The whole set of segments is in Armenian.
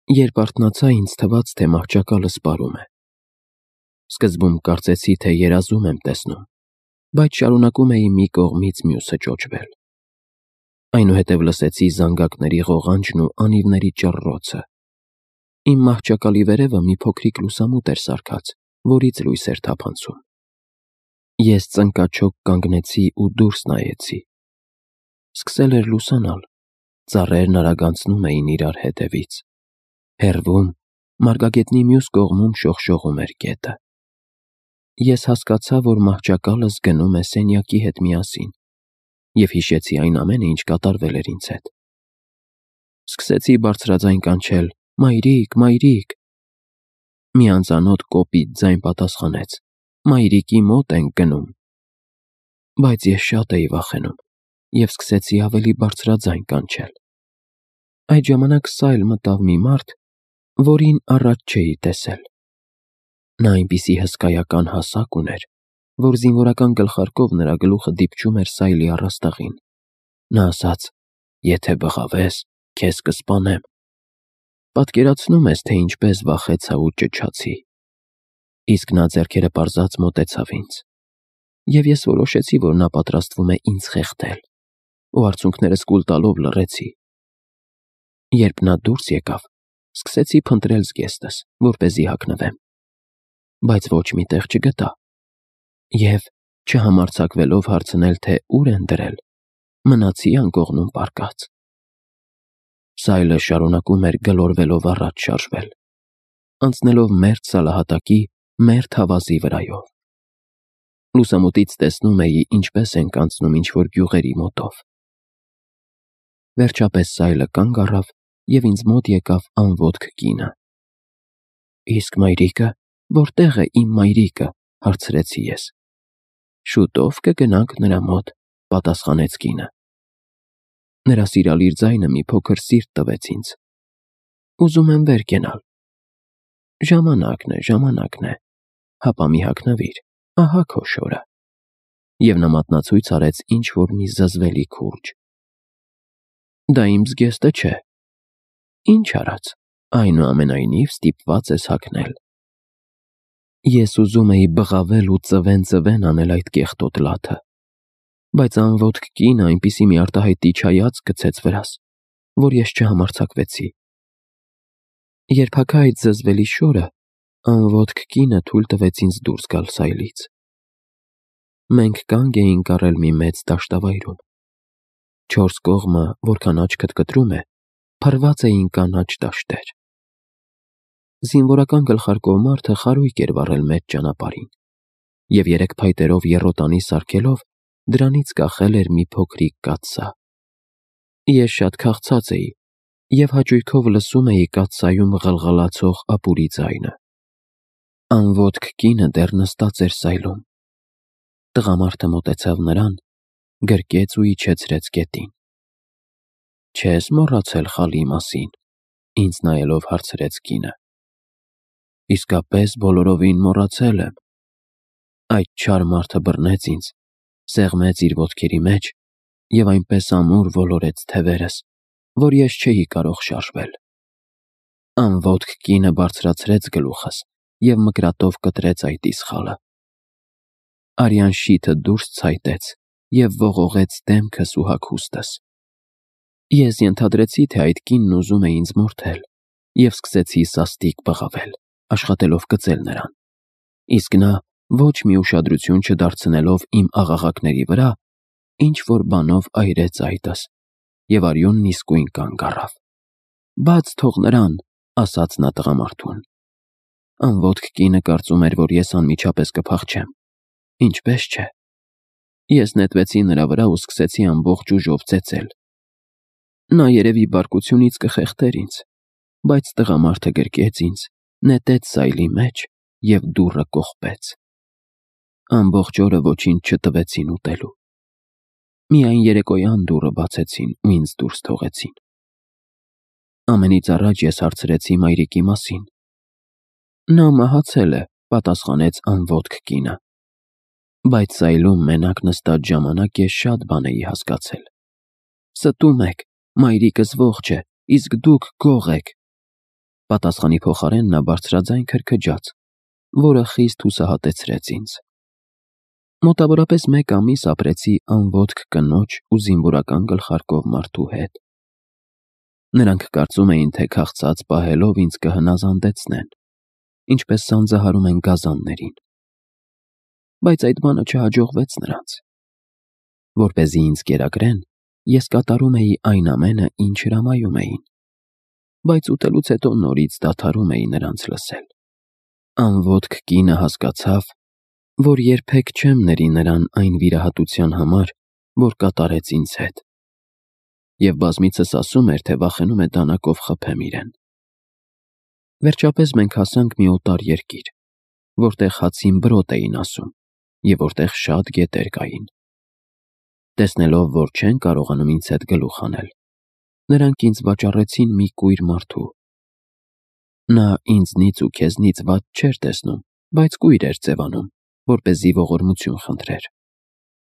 Երբ արթնացա, ինձ թվաց, թե մահճակալը սպառում է։ Սկզբում կարծեցի, թե երազում եմ տեսնում, բայց շարունակում էի մի կողմից մյուսը ճոճվել։ Այնուհետև լսեցի զանգակների ղողանջն ու անիվների ճռռոցը։ Իմ մահճակալի վերևը մի փոքրիկ լուսամուտ էր սարքած, որից լույս էր թափանցում։ Ես ծնկաչոք կանգնեցի ու դուրս նայեցի։ Սկսել էր լուսանալ, ծառերն արագանցնում էին իրար հետևից։ Հեռվում, մարգագետնի մյուս կողմում շողշողում էր գետը։ Ես հասկացա, որ մահճակալս գնում է սենյակի հետ միասին, և հիշեցի այն ամենը, ինչ կատարվել էր ինձ հետ։ Սկսեցի բարձրաձայն կանչել. «Մայրիկ, մայրիկ»։ Մի անծանոթ կոպիտ ձայն պատասխանեց. «Մայրիկի մոտ ենք գնում»։ Բայց ես շատ էի վախենում և սկսեցի ավելի բարձրաձայն կանչել։ Այդ ժամանակ սայլ մտավ մի մարդ, որին առաջ չէի տեսել։ Նա այնպիսի հսկայական հասակ ուներ, որ զինվորական գլխարկով նրա գլուխը դիպչում էր սայլի առաստաղին։ Նա ասաց. «Եթե բղավես, քեզ կսպանեմ»։ Պատկերացնում ես, թե ինչպես վախեցա ու ճչացի։ Իսկ նա ձեռքերը պարզած մոտեցավ ինձ, և ես որոշեցի, որ նա պատրաստվում է ինձ խեղդել, ու արցունքներս կուլ տալով լռեցի։ Երբ նա դուրս եկավ, սկսեցի փնտրել զգեստս, որպեսզի հագնվեմ, բայց ոչ մի տեղ չգտա, և, չհամարձակվելով հարցնել, թե ուր են դրել, մնացի անկողնում պառկած։ Սայլը շարունակում էր գլորվելով առաջ շարժվել, անցնելով մերթ սալահատակի, մերթ հավազի վրայով։ Լուսամուտից տեսնում էի, ինչպես ենք անցնում ինչ-որ գյուղերի մոտով։ Վերջապես սայլը կանգ առավ, և ինձ մոտ եկավ անոտք կինը։ «Իսկ մայրիկը, որտե՞ղ է իմ մայրիկը», հարցրեցի ես։ «Շուտով կգնանք նրա մոտ», պատասխանեց կինը։ Նրա սիրալիր ձայնը մի փոքր սիրտ տվեց ինձ։ «Ուզում եմ վեր կենալ»։ Ժամանակն է, հապա մի հագնվիր, ահա քո շորը։ Եվ նա մատնացույց արեց ինչ-որ մի զզվելի քուրջ։ Դա իմ զգեստը չէ։ Ինչ արած, այնուամենայնիվ ստիպված ես հագնել։ Ես ուզում էի բղավել ու ծվեն անել այդ կեղտոտ լաթը, բայց անոտք կինը այնպիսի մի արտահայտիչ հայացք գցեց վրաս, որ ես չհամարձակվեցի։ Երբ հագա այդ զզվելի շորը, անոտք կինը թույլ տվեց ինձ դուրս գալ սայլից։ Մենք կանգ էինք առել մի մեծ դաշտավայրում։ Չորս կողմը, որքան աչքդ կտրում է, փռված էին կանաչ դաշտեր։ Զինվորական գլխարկով մարդը խարույկ էր վառել մեծ ճանապարհին, և երեք փայտերով եռոտանի սարքելով, դրանից կախել էր մի փոքրիկ կաթսա։ Ես շատ քաղցած էի և հաճույքով լսում էի կաթսայում ղլղլացող ապուրի ձայնը։ Անոտք կինը դեռ նստած էր սայլում։ Տղամարդը մոտեցավ նրան, գրկեց ու իջեցրեց գետին։ «Չես մոռացել խալի մասին», ինձ նայելով հարցրեց կինը։ «Իսկապես բոլորովին մոռացել եմ»։ Այդ չար մարդը բռնեց ինձ, սեղմեց իր ոտքերի մեջ և այնպես ամուր ոլորեց թևերս, որ ես չէի կարող շարժվել։ Անոտք կինը բարձրացրեց գլուխս և մկրատով կտրեց այդ իշխանը։ Արյան շիթը դուրս ցայտեց և ողողեց դեմքս ու հագուստս։ Ես ենթադրեցի, թե այդ կինն ուզում է ինձ մորթել, և սկսեցի սաստիկ բղավել, աշխատելով կծել նրան։ Իսկ նա, ոչ մի ուշադրություն չդարձնելով իմ աղաղակների վրա, ինչ-որ բանով այրեց այտս, և արյունն իսկույն կանգ առավ։ «Բաց թող նրան», ասաց նա տղամարդուն։ Անոտք կինը կարծում էր, որ ես անմիջապես կփախչեմ։ Ինչպես չէ։ Ես նետվեցի նրա վրա ու սկսեցի ամբողջ ուժով ծեծել։ Նա երևի բարկությունից կխեղդեր ինձ, բայց տղամարդը գրկեց ինձ, նետեց սայլի մեջ և դուռը կողպեց։ Ամբողջ օրը ոչինչ չտվեցին ուտելու։ Միայն երեկոյան դուռը բացեցին ու ինձ դուրս թողեցին։ Ամենից առաջ ես հարցրեցի մայրիկի մասին։ Նա մահացել է, պատասխանեց անոտք կինը։ Բայց սայլում մենակ նստած ժամանակ ես շատ բան էի հասկացել։ Ստում եք, մայրիկս ողջ է, իսկ դուք գող եք։ Պատասխանի փոխարեն նա բարձրաձայն քրքջաց, որը խիստ հուսահատեցրեց ինձ։ Մոտավորապես 1 ամիս ապրեցի անոտք կնոջ ու զինվորական գլխարկով մարդու հետ։ Նրանք կարծում էին, թե քաղցած պահելով ինձ կհնազանդեցնեն, ինչպես սանձահարում են գազաններին։ Բայց այդ բանը չհաջողվեց նրանց։ Որպեսզի ինձ կերակրեն, ես կատարում էի այն ամենը, ինչ հրամայում էին, բայց ուտելուց հետո նորից դադարում էի նրանց լսել։ Անոտք կինը հասկացավ, որ երբեք չեմ ների նրան այն վիրահատության համար, որ կատարեց ինձ հետ, և բազմիցս ասում էր, թե վախենում է դանակով խփեմ իրեն։ Վերջապես մենք հասանք մի օտար երկիր, որտեղ հացին բրոտ էին ասում, և որտեղ շատ գետեր կային։ Տեսնելով, որ չեն կարողանում ինձ հետ գլուխ անել, նրանք ինձ վաճառեցին մի կույր մարդու։ Նա ինձնից ու քեզնից վատ չէր տեսնում, բայց կույր էր ձևանում, որպեսզի ողորմություն խնդրեր։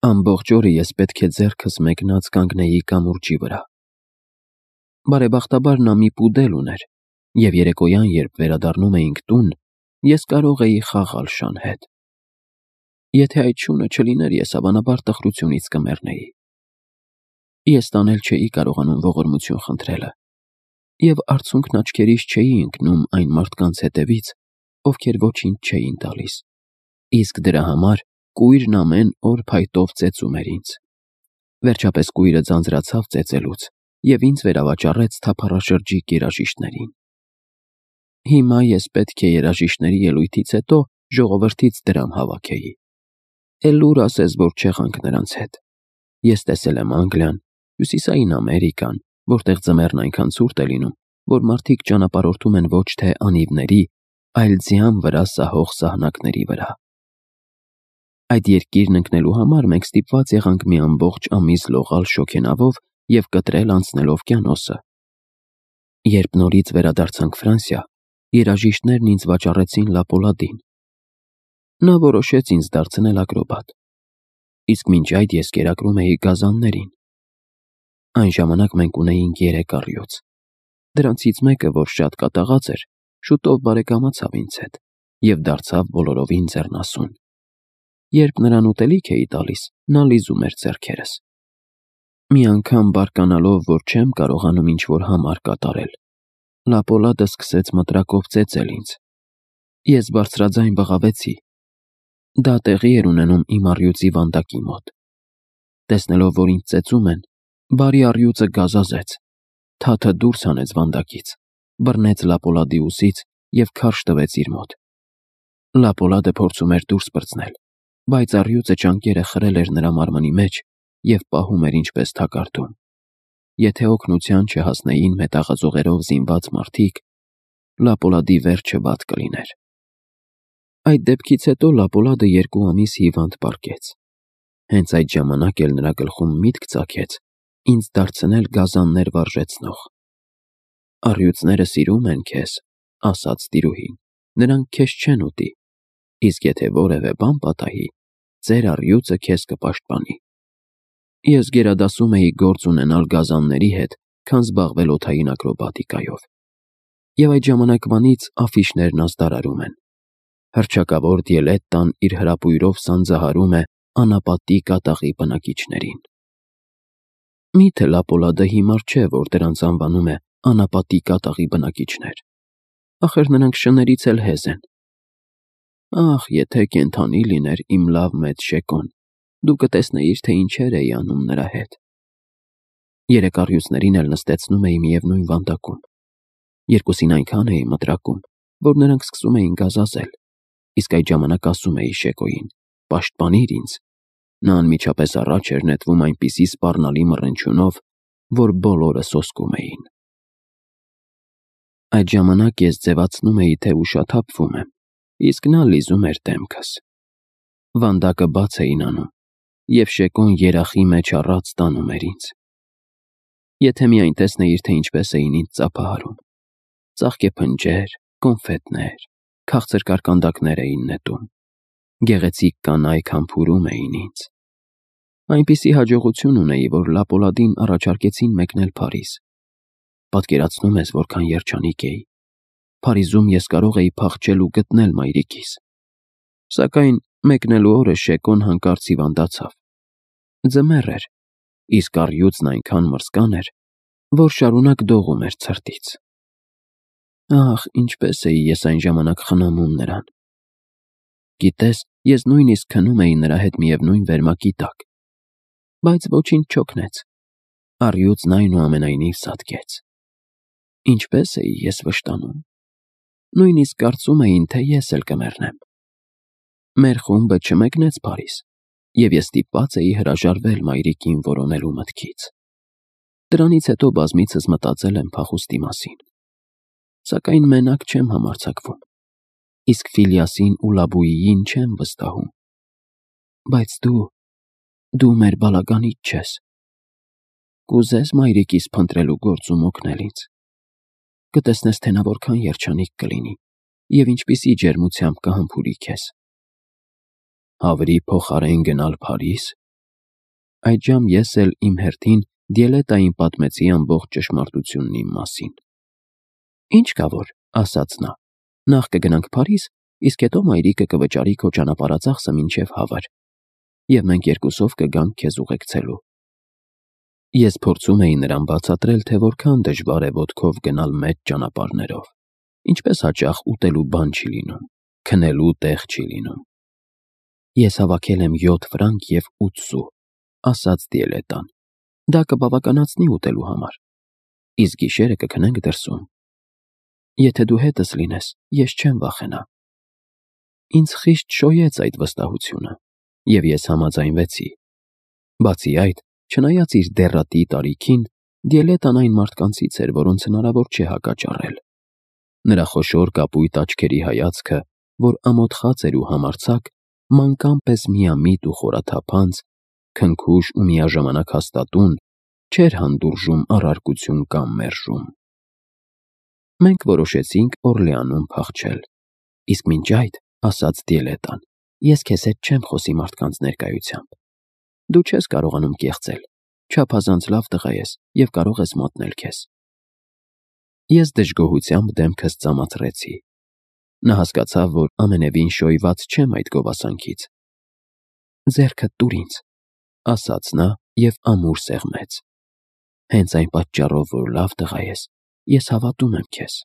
Ամբողջ օրը ես պետք է ձեռքս մեկնած կանգնեի կամուրջի վրա։ Բարեբախտաբար նա մի պուդել ուներ, և երեկոյան, երբ վերադառնում էինք տուն, ես կարող էի խաղալ շան հետ։ Եթե այդ շունը չլիներ, ես հավանաբար տխրությունից կմեռնեի։ Ես տանել չէի կարողանում ողորմություն խնդրելը, և արցունքն աչքերիս չէի ընկնում այն մարդկանց հետևից, ովքեր ոչինչ չէին տալիս, իսկ դրա համար կույրն ամեն օր փայտով ծեծում էր ինձ։ Վերջապես կույրը ձանձրացավ ծեծելուց և ինձ վերավաճառեց թափառաշրջիկ երաժիշտներին։ Հիմա ես պետք է երաժիշտների ելույթից հետո ժողովրդից դրամ հավաքեի։ Էլ ուր ասես, որ չեղանք նրանց հետ։ Ես տեսել եմ Անգլիան, Հյուսիսային Ամերիկան, որտեղ ձմեռն այնքան ցուրտ է լինում, որ մարդիկ ճանապարհորդում են ոչ թե անիվների, այլ ձյան վրա սահող սահնակների վրա։ Այդ երկիրն ընկնելու համար մենք ստիպված եղանք մի ամբողջ ամիս լողալ շոգենավով և կտրել անցնել օվկիանոսը։ Երբ նորից վերադարձանք Ֆրանսիա, երաժիշտներն ինձ վաճառեցին Լապոլադին։ Նա որոշեց ինձ դարձնել ակրոբատ, իսկ մինչ այդ ես կերակրում էի գազաններին։ Այն ժամանակ մենք ունեինք 3 առյուծ։ Դրանցից մեկը, որ շատ կատաղած էր, շուտով բարեկամացավ ինձ հետ և դարձավ բոլորովին ձեռնասուն։ Երբ նրան ուտելիք էի տալիս, նա լիզում էր ձեռքերս։ Մի անգամ բարկանալով, որ չեմ կարողանում ինչ-որ համար կատարել, Լապոլադը սկսեց մտրակով ծեծել ինձ։ Ես բարձրաձայն բղավեցի։ Դա տեղի էր ունենում իմ առյուծի վանդակի մոտ։ Տեսնելով, որ ինձ ծեծում են, բարի առյուծը գազազեց, թաթը դուրս հանեց վանդակից, բռնեց Լապոլադի ուսից և քարշ տվեց իր մոտ։ Լապոլադը փորձում էր դուրս պրծնել, բայց առյուծը ճանկերը խրել էր նրա մարմնի մեջ և պահում էր ինչպես թակարդում։ Եթե օգնության չհասնեին մետաղաձողերով զինված մարդիկ, Լապոլադի վերջը վատ կլիներ։ Այդ դեպքից հետո Լապոլադը 2 ամիս հիվանդ պառկեց։ Հենց այդ ժամանակ էլ նրա գլխում միտք ծագեց ինձ դարձնել գազաններ վարժեցնող։ «Առյուծները սիրում են քեզ», ասաց տիրուհին, «նրանք քեզ չեն ուտի, իսկ եթե որևէ բան պատահի, ձեր առյուծը քեզ կպաշտպանի»։ Ես գերադասում էի գործ ունենալ գազանների հետ, քան զբաղվել օդային ակրոբատիկայով։ Եվ այդ ժամանակվանից աֆիշներն ազդարարում են։ Հռչակավոր Դիելետտան իր հրապույրով սանձահարում է անապատի կատաղի բնակիչներին։ Միթե Լապոլադը հիմար չէ, որ դրանց անվանում է անապատի կատաղի բնակիչներ։ Ախր նրանք շներից էլ հեզ են։ Ախ, եթե կենդանի լիներ իմ լավ մեծ Շեկոն, դու կտեսնեիր, թե ինչեր էի անում նրա հետ։ 3 առյուծներին էլ նստեցնում էի միևնույն վանդակում։ Երկուսին այնքան էի մտրակում, որ նրանք սկսում էին գազազել, իսկ այդ ժամանակ ասում էի Շեկոյին. «Պաշտպանիր ինձ»։ Նա անմիջապես առաջ էր նետվում այնպիսի սպառնալի մռնչյունով, որ բոլորը սոսկում էին։ Այդ ժամանակ ես ձևացնում էի, թե ուշաթափվում եմ, իսկ նա լիզում էր դեմքս։ Վանդակը բաց էին անում, և Շեկոն երախի մեջ առած տանում էր ինձ։ Եթե միայն տեսնեիր, թե ինչպես էին ինձ ծափահարում։ Ծաղկեփնջեր, կոնֆետներ, քաղցր կարկանդակներ էին նետում։ Գեղեցիկ կանայք համբուրում էին ինձ։ Այնպիսի հաջողություն ունեի, որ Լապոլադին առաջարկեցին մեկնել Փարիզ։ Պատկերացնում ես, որքան երջանիկ էի։ Փարիզում ես կարող էի փախչել ու գտնել մայրիկիս։ Սակայն մեկնելու օրը Շեկոն հանկարծ հիվանդացավ։ Ձմեռ էր, իսկ առյուծն այնքան մրսկան էր, որ շարունակ դողում էր ցրտից։ Ահ, ինչպես էի ես այն ժամանակ խնամում նրան։ Գիտես, ես նույնիսկ քնում էի նրա հետ միևնույն վերմակի տակ։ Բայց ոչինչ չօգնեց։ Առյուծն այնուամենայնիվ սատկեց։ Ինչպես էի ես վշտանում։ Նույնիսկ կարծում էին, թե ես էլ կմեռնեմ։ Մեր խումբը չմեկնեց Փարիզ, և ես ստիպված էի հրաժարվել մայրիկին որոնելու մտքից։ Դրանից հետո բազմիցս մտածել եմ փախուստի մասին։ Սակայն մենակ չեմ համարձակվում, իսկ Ֆիլիասին ու Լաբույին չեմ վստահում։ Բայց դու մեր բալականից չես։ Կուզես մայրիկիս փնտրելու գործում օգնել ինձ։ Կտեսնես, թե նա որքան երջանիկ կլինի և ինչպիսի ջերմությամբ կհամբուրի քեզ։ Հավրի փոխարեն գնալ Փարիզ։ Այդժամ ես էլ իմ հերթին Դիելետային պատմեցի ամբողջ ճշմարտությունն իմ մասին։ Ինչ կա որ, ասաց նա, նախ կգնանք Փարիզ, իսկ հետո մայրիկը կվճարի քո ճանապարհածախսը մինչև Հավր, և մենք երկուսով կգանք քեզ ուղեկցելու։ Ես փորձում էի նրան բացատրել, թե որքան դժվար է ոտքով գնալ մեծ ճանապարհներով, ինչպես հաճախ ուտելու բան չի լինում, քնելու տեղ չի լինում։ Ես հավաքել եմ 7 ֆրանկ և 8 սու, ասաց Դիելետան։ Դա կբավականացնի ուտելու համար, իսկ գիշերը կքնենք դրսում։ Եթե դու հետս լինես, ես չեմ վախենա։ Ինձ խիստ շոյեց այդ վստահությունը, և ես համաձայնվեցի։ Բացի այդ, չնայած իր դեռատի տարիքին, Դիելետան այն մարդկանցից էր, որոնց հնարավոր չէ հակաճառել։ Նրա խոշոր կապույտ աչքերի հայացքը, որ ամոթխած էր ու համարձակ, մանկան պես միամիտ ու խորաթափանց, քնքուշ ու միաժամանակ հաստատուն, չէր հանդուրժում առարկություն կամ մերժում։ Մենք որոշեցինք Օրլեանում փախչել։ Իսկ մինչ այդ, ասաց Դիելետան, ես քեզ հետ չեմ խոսի մարդկանց ներկայությամբ։ Դու չես կարողանում կեղծել, չափազանց լավ տղա ես և կարող ես մատնել քեզ։ Ես դժգոհությամբ դեմքս ծամաթրեցի։ Նա հասկացավ, որ ամենևին շոյված չեմ այդ գովասանքից։ Ձեռքդ տուր ինձ, ասաց նա և ամուր սեղմեց։ Հենց այն պատճառով, որ լավ տղա ես հավատում եմ քեզ։